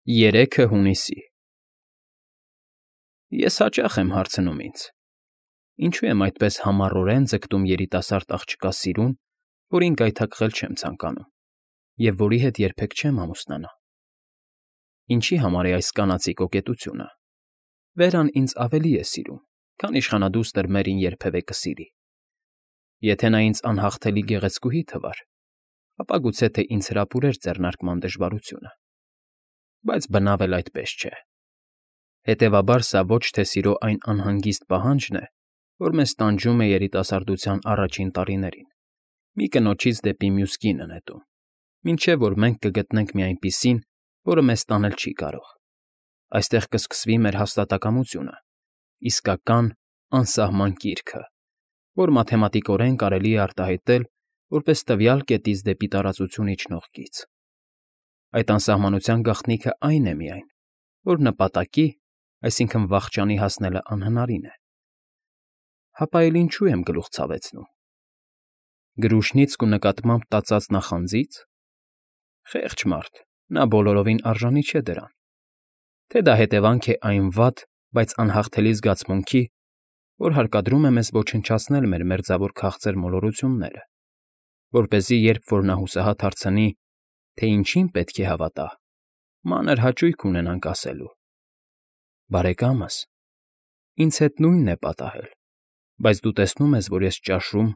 Երեքը հունիսի Ես հաճախ եմ հարցնում ինձ. ինչու եմ այդպես համառորեն ձգտում երիտասարդ աղջկա սիրուն, որին գայթակղել չեմ ցանկանում և որի հետ երբեք չեմ ամուսնանա. ինչի համար է այս կանացի կոկետությունը. Վերան ինձ ավելի է սիրում, քան իշխանադուստր Մերին երբևէ կսիրի. եթե նա ինձ անհաղթելի գեղեցկուհի թվար, ապա գուցե թե ինձ հրապուրեր ձեռնարկման դժվարությունը, բայց բնավ էլ այդպես չէ. հետևաբար սա ոչ թե սիրո այն անհանգիստ պահանջն է, որ մեզ տանջում է երիտասարդության առաջին տարիներին, մի կնոջից դեպի մյուս կինը նետում, մինչև որ մենք կգտնենք մի այնպիսին, որը մեզ տանել չի կարող. այստեղ կսկսվի մեր հաստատակամությունը, իսկական անսահման կիրքը, որ մաթեմատիկորեն կարելի է արտահայտել որպես տվյալ կետից դեպի տարածություն իջնող գիծ. Այդ անսահմանության գաղտնիքը այն է միայն, որ նպատակի, այսինքն վախճանի հասնելը անհնարին է. հապա էլ ինչու եմ գլուխ ցավեցնում. գրուշնիցք ու նկատմամբ տածած նախանձի՞ց. խեղճ մարդ, նա բոլորովին արժանի չէ դրան, թե դա հետևանք է այն վատ, բայց անհաղթելի զգացմունքի, որ հարկադրում է մեզ ոչնչացնել մեր մերձավոր քաղցր մոլորությունները, որպեսզի երբ որ նա հուսահատ հարցնի, թե ինչին պետք է հավատա, մանր հաճույք ունենանք ասելու. բարեկամս, ինձ հետ նույնն է պատահել, բայց դու տեսնում ես, որ ես ճաշում,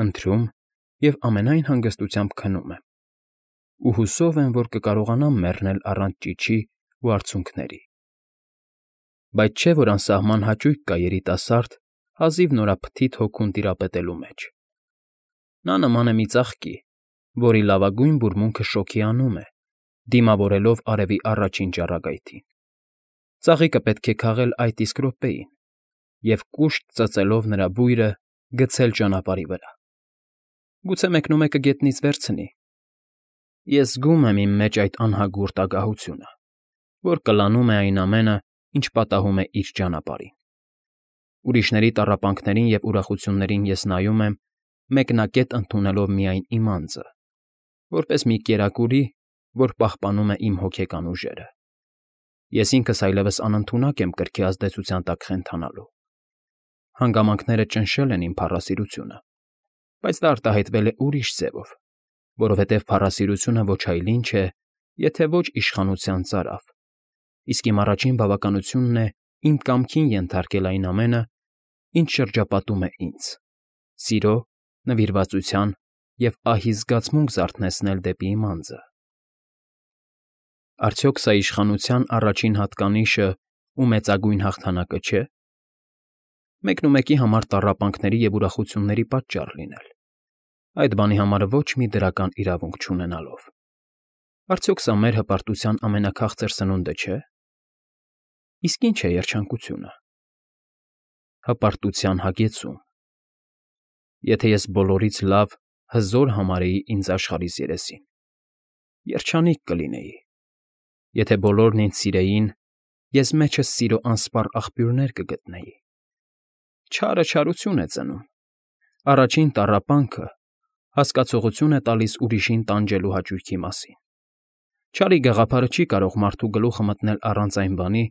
ընթրում և ամենայն հանգստությամբ քնում եմ, ու հուսով եմ, որ կկարողանամ մեռնել առանց ճիչի ու արցունքների. բայց չէ՞ որ անսահման հաճույք կա երիտասարդ, հազիվ նորափթիթ հոգուն տիրապետելու մեջ. նա նման է մի ծաղկի, որի լավագույն բուրմունքը շոգի անում է, դիմավորելով արևի առաջին ճառագայթին. ծաղիկը պետք է քաղել այդ իսկ րոպեին և կուշտ ծծելով նրա բույրը գցել ճանապարհի վրա. գուցե մեկնումեկը գետնից վերցնի. ես զգում եմ իմ մեջ այդ անհագուրդ ագահությունը, որ կլանում է այն ամենը, ինչ պատահում է իր ճանապարհին. ուրիշների տառապանքներին և ուրախություններին ես նայում եմ, մեկնակետ ընդունելով միայն իմ անձը, որպես մի կերակուրի, որ պահպանում է իմ հոգեկան ուժերը. ես ինքս այլևս անընդունակ եմ կրքի ազդեցության տակ խենթանալու. հանգամանքները ճնշել են իմ փառասիրությունը, բայց դա արտահայտվել է ուրիշ ձևով, որովհետև փառասիրությունը ոչ այլ ինչ է, եթե ոչ իշխանության ծարավ, իսկ իմ առաջին բավականությունն է իմ կամքին ենթարկել այն ամենը, ինչ շրջապատում է ինձ, սիրո, նվիրվածության և ահի զգացմունք զարթնեցնել դեպի իմ անձը. արդյոք սա իշխանության առաջին հատկանիշը ու մեծագույն հաղթանակը չէ՞, մեկնումեկի համար տառապանքների և ուրախությունների պատճառ լինել, այդ բանի համար ոչ մի դրական իրավունք չունենալով, արդյոք սա մեր հպարտության ամենաքաղցր սնունդը չէ՞, իսկ ի՞նչ է երջանկությունը, հպարտության հագեցում. եթե ես բոլորից լավ, հզոր համարեի ինձ աշխարհիս երեսին, երջանիկ կլինեի, եթե բոլորն ինձ սիրեին, ես մեջս սիրո անսպառ աղբյուրներ կգտնեի. չարը չարություն է ծնում, առաջին տառապանքը հասկացողություն է տալիս ուրիշին տանջելու հաճույքի մասին, չարի գաղափարը չի կարող մարդու գլուխը մտնել առանց այն բանի,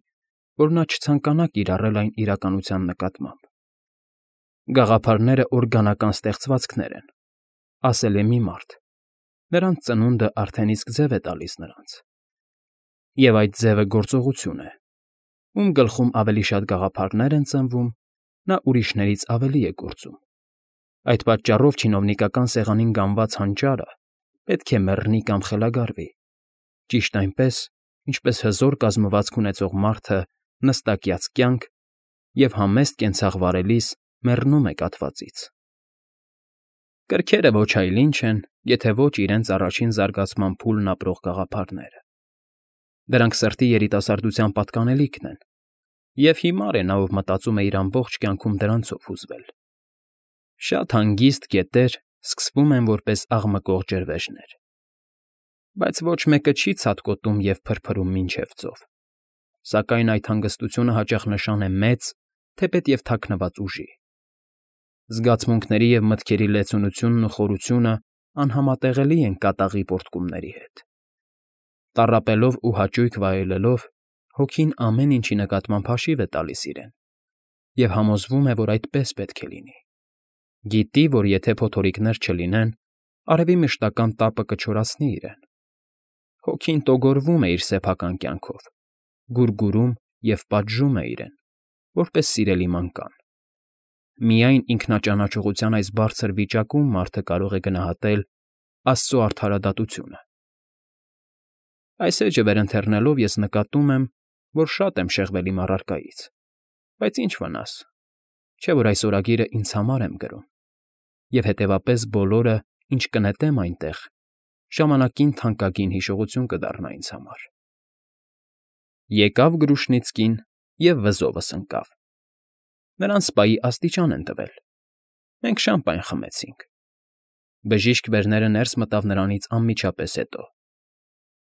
որ նա չցանկանա կիրառել այն իրականության նկատմամբ. գաղափարները օրգանական ստեղծվածքներ են, ասել է մի մարդ, նրանց ծնունդը արդեն իսկ ձև է տալիս նրանց, և այդ ձևը գործողություն է, ում գլխում ավելի շատ գաղափարներ են ծնվում, նա ուրիշներից ավելի է գործում, այդ պատճառով չինովնիկական սեղանին գանված հանճարը պետք է մեռնի կամ խելագարվի, ճիշտ այնպես, ինչպես հզոր կազմվածք ունեցող մարդը նստակյաց կյանք և համեստ կենցաղ վարելիս մեռնում է կաթվածից. կրքերը ոչ այլ ինչ են, եթե ոչ իրենց առաջին զարգացման փուլն ապրող գաղափարները. դրանք սրտի երիտասարդության պատկանելիքն են, և հիմար է նա, ով մտածում է իր ամբողջ կյանքում դրանցով հուզվել. շատ հանգիստ գետեր սկսվում են որպես աղմկող ջրվեժներ, բայց ոչ մեկը չի ցատկոտում և փրփրում մինչև ծով, սակայն այդ հանգստությունը հաճախ նշան է մեծ, թեպետև թաքնված ուժի. զգացմունքների և մտքերի լեցունությունն ու խորությունն անհամատեղելի են կատաղի պոռթկումների հետ, Տառապելով ու հաճույք վայելելով, հոգին ամեն ինչի նկատմամբ հաշիվ է տալիս իրեն և համոզվում է, որ այդպես պետք է լինի. գիտի, որ եթե փոթորիկներ չլինեն, արևի մշտական տապը կչորացնի իրեն. հոգին տոգորվում է իր սեփական կյանքով, գուրգուրում և պատժում է իրեն, որպես սիրելի մանկան. միայն ինքնաճանաչողության այս բարձր վիճակում մարդը կարող է գնահատել Աստծո արդարադատությունը։ Այս էջը վերընթեռնելով ես նկատում եմ, որ շատ եմ շեղվել իմ առարկայից, բայց ինչ վնաս, չէ՞ որ այս օրագիրը ինձ համար եմ գրում, և հետևապես բոլորը, ինչ կնետեմ այնտեղ, ժամանակին թանկագին հիշողություն կդառնա ինձ համար։ Եկավ Գրուշնիցկին և վզովս ընկավ։ Նրան սպայի աստիճան են տվել։ Մենք շամպայն խմեցինք։ Բժիշկ վերները ներս մտավ նրանից անմիջապես հետո։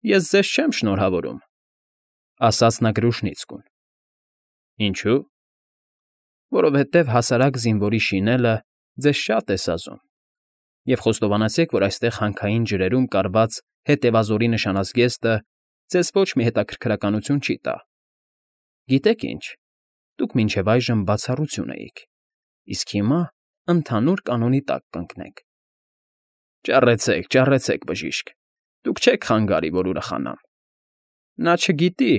Ես ձեզ չեմ շնորհավորում, ասաց նա Գրուշնիցկուն։ Ինչո՞ւ։ Որովհետև հասարակ զինվորի շինելը ձեզ շատ է սազում, և խոստովանեցեք, որ այստեղ հանքային ջրերում կարված հետևազորի նշանազգեստը ձեզ ոչ մի հետաքրքրականություն չի տա։ Գիտեք ինչ, դուք մինչև այժմ բացառություն էիք, իսկ հիմա ընդհանուր կանոնի տակ կընկնեք։ Ճառեցեք, բժիշկ, դուք չեք խանգարի, որ ուրախանամ։ Նա չգիտի,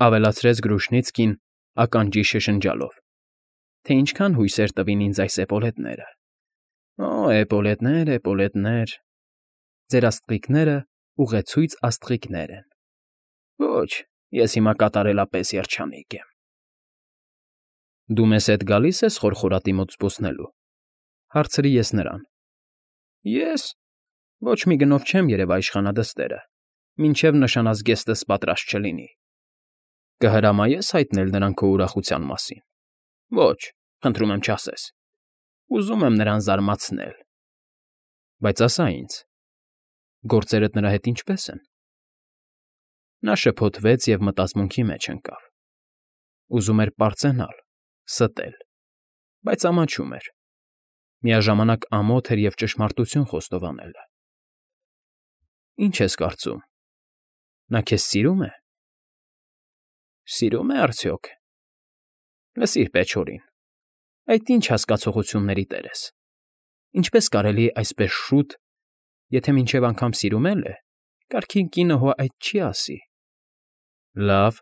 ավելացրեց Գրուշնիցկին ականջի շշնջալով, թե ինչքան հույսեր տվին ինձ այս էպոլետները։ Օ, էպոլետներ, ձեր աստղիկները ուղեցույց աստղիկներ են։ Ոչ, ես հիմա կատարելապես երջանիկ եմ։ Դու մեզ հետ գալի՞ս ես խորխորատի մոտ զբոսնելու, հարցրի ես նրան։ Ես ոչ մի գնով չեմ երևա իշխանադստերը, մինչև նշանազգեստս պատրաստ չլինի։ Կհրամայե՞ս հայտնել նրան քո ուրախության մասին։ Ոչ, խնդրում եմ չասես։ Ուզում եմ նրան զարմացնել։ Բայց ասա ինձ, գործերդ նրա հետ ինչպե՞ս են։ Նա շփոթվեց և մտածմունքի մեջ ընկավ։ Ուզում էր պարծենալ, ստել, բայց ամաչում էր։ Միաժամանակ ամոթ էր և ճշմարտություն խոստովանելը։ Ինչ ես կարծում, նա քեզ սիրո՞ւմ է։ Սիրո՞ւմ է արդյոք։ Լսիր, Պեչորին, այդ ինչ հասկացողությունների տեր ես։ Ինչպես կարելի է այսպես շուտ, եթե մինչև անգամ սիրում էլ է, կարգին կինը հո այդ չի ասի։ Լավ,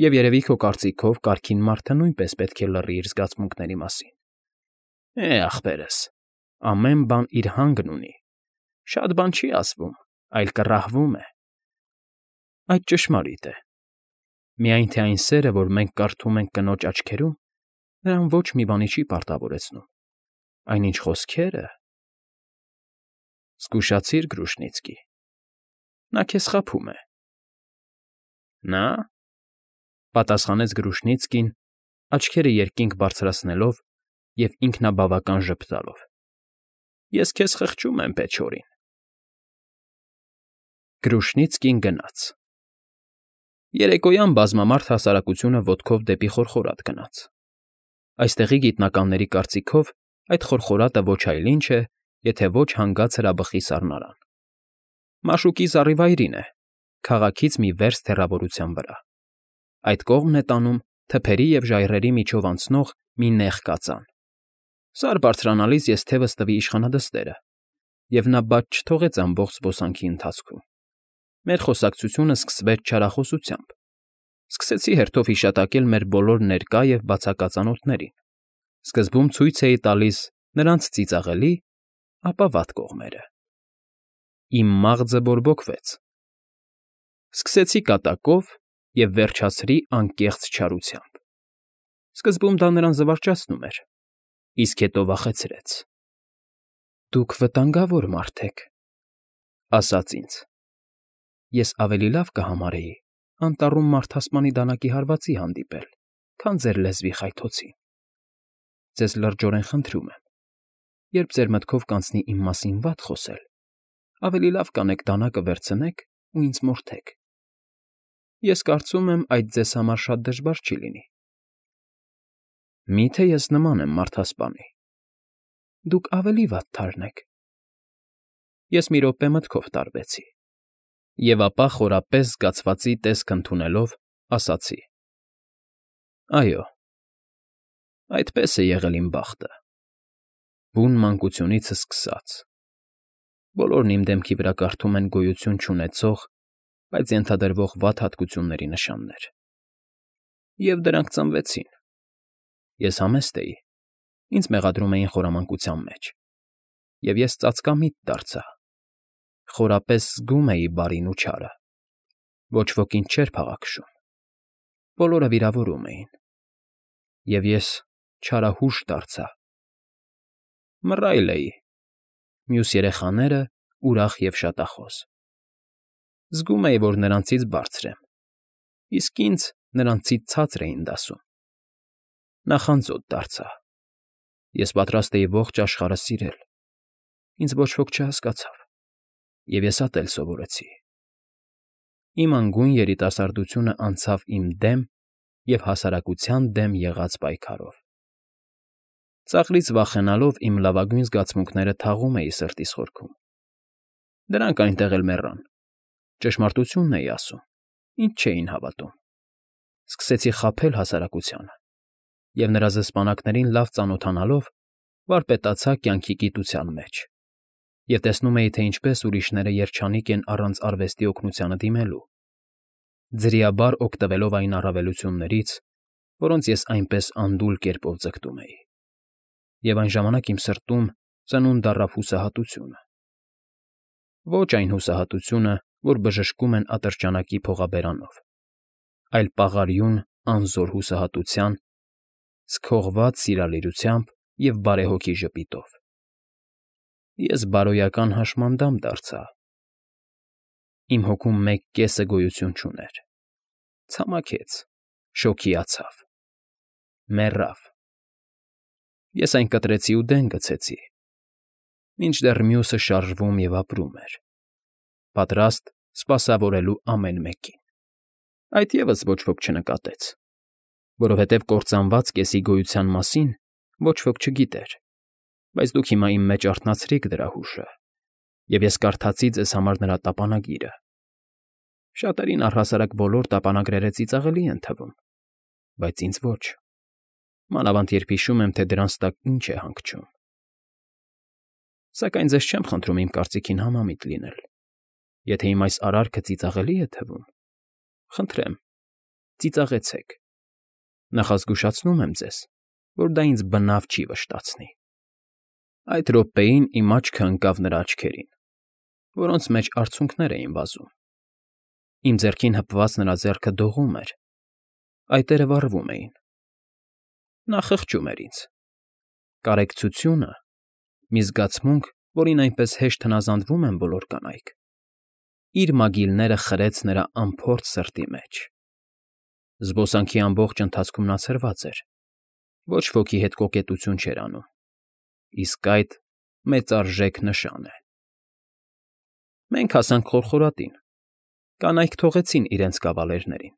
և երևի քո կարծիքով կարգին մարդը նույնպես պետք է լռի իր զգացմունքների մասին։ Ախպերս, ամեն բան իր հանգն ունի, շատ բան չի ասվում, այլ կռահվում է։ Այդ ճշմարիտ է։ Միայն թե այն սերը, որ մենք կարդում ենք կնոջ աչքերում, նրան ոչ մի բանի չի պարտավորեցնում, այնինչ խոսքերը… Զգուշացիր, Գրուշնիցկի, նա քեզ խաբում է։ Նա՞, պատասխանեց Գրուշնիցկին, աչքերը երկինք բարձրացնելով և ինքնաբավական ժպտալով։ Ես քեզ խղճում եմ, Պեչորին։ Գրուշնիցկին գնաց։ Երեկոյան բազմամարդ հասարակությունը ոտքով դեպի խորխորատ գնաց։ Այստեղի գիտնականների կարծիքով այդ խորխորատը ոչ այլ ինչ է, եթե ոչ հանգած հրաբխի սառնարան։ Մաշուկի զառիվայրին է, քաղաքից մի վերստ հեռավորության վրա։ Այդ կողմն է տանում թփերի և ժայռերի միջով անցնող մի նեղ կածան։ Սար բարձրանալիս ես թևս տվի իշխանադստերը, և նա բաց չթողեց ամբողջ զբոսանքի ընթացքում։ Մեր խոսակցությունը սկսվեց չարախոսությամբ։ Սկսեցի հերթով հիշատակել մեր բոլոր ներկա և բացակա ծանոթներին։ Սկզբում ցույց էի տալիս նրանց ծիծաղելի, ապա վատ կողմերը։ Իմ մաղձը բորբոքվեց։ Սկսեցի կատակով և վերջացրի անկեղծ չարությամբ։ Սկզբում դա նրան զվարճացնում էր, իսկ հետո վախեցրեց։ Դուք վտանգավոր մարդ եք, ասաց ինձ։ Ես ավելի լավ կհամարեի անտառում մարդասպանի դանակի հարվածի հանդիպել, քան ձեր լեզվի խայթոցի։ Ձեզ լրջորեն խնդրում եմ, երբ ձեր մտքով կանցնի իմ մասին վատ խոսել, ավելի լավ կանեք դանակը վերցնեք ու ինձ մորթեք։ Ես կարծում եմ, այդ ձեզ համար շատ դժվար չի լինի։ Մի՞թե ես նման եմ մարդասպանի։ Դուք ավելի վատ թարն եք։ Ես մի րոպե մտքով տարվեցի։ Եվ ապա խորապես զգացվածի տեսք ընդունելով, ասացի. այո, այդպես է եղել իմ բախտը, բուն մանկությունիցս սկսած. բոլորն իմ դեմքի վրա կարդում են գոյություն չունեցող, բայց ենթադրվող վատ հատկությունների նշաններ։ Եվ դրանք ծնվեցին։ Ես համեստ էի, ինձ մեղադրում էին խորամանկության մեջ, և ես ծածկամիտ դարձա, խորապես զգում էի բարին ու չարը, ոչ ոք ինձ չէր փաղաքշում, բոլորը վիրավորում էին, և ես չարահուշ դարձա, մռայլ էի, մյուս երեխաները ուրախ և շատախոս։ Զգում էի, որ նրանցից բարձր եմ, իսկ ինձ նրանցից ցածր էին դասում։ Նախանձոտ դարձա։ Ես պատրաստ էի ողջ աշխարհը սիրել, ինձ ոչ ոք չհասկացավ, և ես ատել սովորեցի։ Իմ անգույն երիտասարդությունը անցավ իմ դեմ և հասարակության դեմ եղած պայքարով։ Ծաղրից վախենալով իմ լավագույն զգացմունքները թաղում էի սրտիս խորքում։ Դրանք այնտեղ էլ մեռան, ճշմարտությունն էի ասում, ինձ չէին հավատում։ Սկսեցի խաբել հասարակությանը, և նրա զսպանակներին լավ ծանոթանալով, վարպետացա կյանքի գիտության մեջ, և տեսնում էի, թե ինչպես ուրիշները երջանիկ են առանց արվեստի օգնությանը դիմելու, ձրիաբար օգտվելով այն առավելություններից, որոնց ես այնպես անդուլ կերպով ձգտում էի։ Եվ այն ժամանակ իմ սրտում ծնունդ առավ հուսահատությունը։ Ոչ այն հուսահատությունը, որ բժշկում են ատրճանակի փողաբերանով, այլ պաղարյուն անզոր հուսահատության, սքողված սիրալիրությամբ և բարեհոգի ժպիտով։ Ես բարոյական հաշմանդամ դարձա։ Իմ հոգում մեկ կեսը գոյություն չուներ, ցամաքեց, շոգիացավ, մեռավ։ Ես այն կտրեցի ու դեն գցեցի, մինչդեռ մյուսը շարժվում և ապրում էր, պատրաստ սպասավորելու ամեն մեկին։ Այդ ևս ոչ ոք չնկատեց, որովհետև կործանված կեսի գոյության մասին ոչ ոք չգիտեր, բայց դուք հիմա իմ մեջ արթնացրիք դրա հուշը, և ես կարդացի ձեզ համար նրա տապանագիրը։ Շատերին առհասարակ բոլոր տապանագրերը ծիծաղելի են թվում, բայց ինձ ոչ, մանավանդ երբ հիշում եմ, թե դրանց տակ ինչ է հանգչում։ Սակայն ձեզ չեմ խնդրում իմ կարծիքին համամիտ լինել։ Եթե իմ այս արարքը ծիծաղելի է թվում, խնդրեմ, ծիծաղեցեք։ Նախազգուշացնում եմ ձեզ, որ դա ինձ բնավ չի վշտացնի։ Այդ րոպեին իմ աչքը ընկավ նրա աչքերին, որոնց մեջ արցունքներ էին վազում։ Իմ ձեռքին հպված նրա ձեռքը դողում էր, այտերը վառվում էին։ Նա խղճում էր ինձ։ Կարեկցությունը, մի զգացմունք, որին այնպես հեշտ հնազանդվում են բոլոր կանայք, իր մագիլները խրեց նրա անփորձ սրտի մեջ։ Զբոսանքի ամբողջ ընթացքում նա ցրված էր, ոչ ոքի հետ կոկետություն չէր անում, իսկ այդ մեծարժեք նշան է։ Մենք հասանք խորխորատին, կանայք թողեցին իրենց կավալերներին,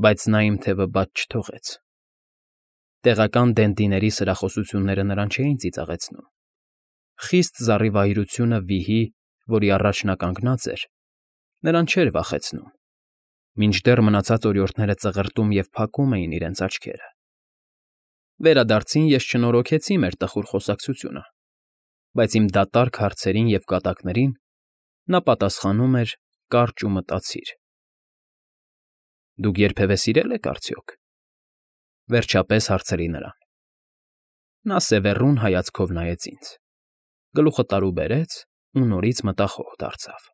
բայց նա իմ թևը բաց չթողեց։ Տեղական դենդիների սրախոսությունները նրան չէին ծիծաղեցնում։ Խիստ զառիվայրությունը վիհի, որի առաջ նա կանգնած էր, նրան չէր վախեցնում, մինչդեռ մնացած օրիորդները ծղրտում և փակում էին իրենց աչքերը։ Վերադարձին ես չնորոգեցի մեր տխուր խոսակցությունը, բայց իմ դատարկ հարցերին և կատակներին նա պատասխանում էր կարճ ու մտածիր։ Դուք երբևէ սիրել եք արդյոք։ Վերջապես հարցրի նրան։ Նա սևեռուն հայացքով նայեց ինձ, գլուխը տարուբերեց ու նորից մտախոհ դարձավ։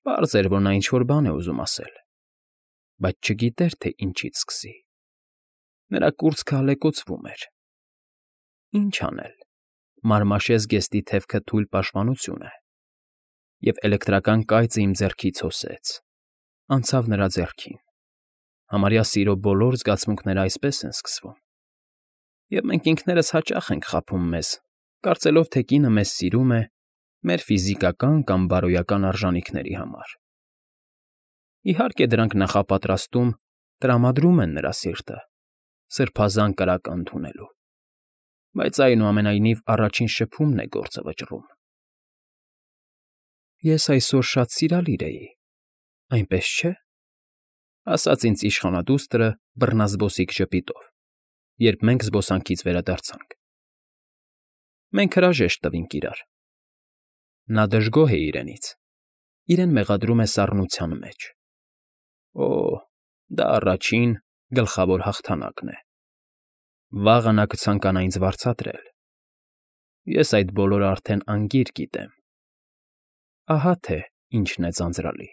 Պարզ էր, որ նա ինչ֊որ բան է ուզում ասել, բայց չգիտեր, թե ինչից սկսի։ Նրա կուրծքը ալեկոծվում էր։ Ինչ անել, մարմաշե զգեստի թևքը թույլ պաշտպանություն է, և էլեկտրական կայծը իմ ձեռքից հոսեց, անցավ նրա ձեռքին։ Համարյա սիրո բոլոր զգացմունքները այսպես են սկսվում։ Եվ մենք ինքներս հաճախ ենք խաբում մեզ, կարծելով, թե կինը մեզ սիրում է մեր ֆիզիկական կամ բարոյական արժանիքների համար։ Իհարկե, դրանք նախապատրաստում տրամադրում են նրա սիրտը սրբազան կրակ ընդունելու, բայց այնուամենայնիվ առաջին շփումն է գործը վճռում։ Ես այսօր շատ սիրալիր էի, այնպես չէ՞, ասաց ինձ իշխանադուստրը բռնազբոսիկ ժպիտով, երբ մենք զբոսանքից վերադարձանք։ Մենք հրաժեշտ տվինք իրար։ Նա դժգոհ է իրենից, իրեն մեղադրում է սառնության մեջ։ Օ՜, դա առաջին, գլխավոր հաղթանակն է։ Վաղը նա կցանկանա ինձ վարձատրել։ Ես այդ բոլորը արդեն անգիր գիտեմ։ Ահա թե ինչն է ձանձրալի։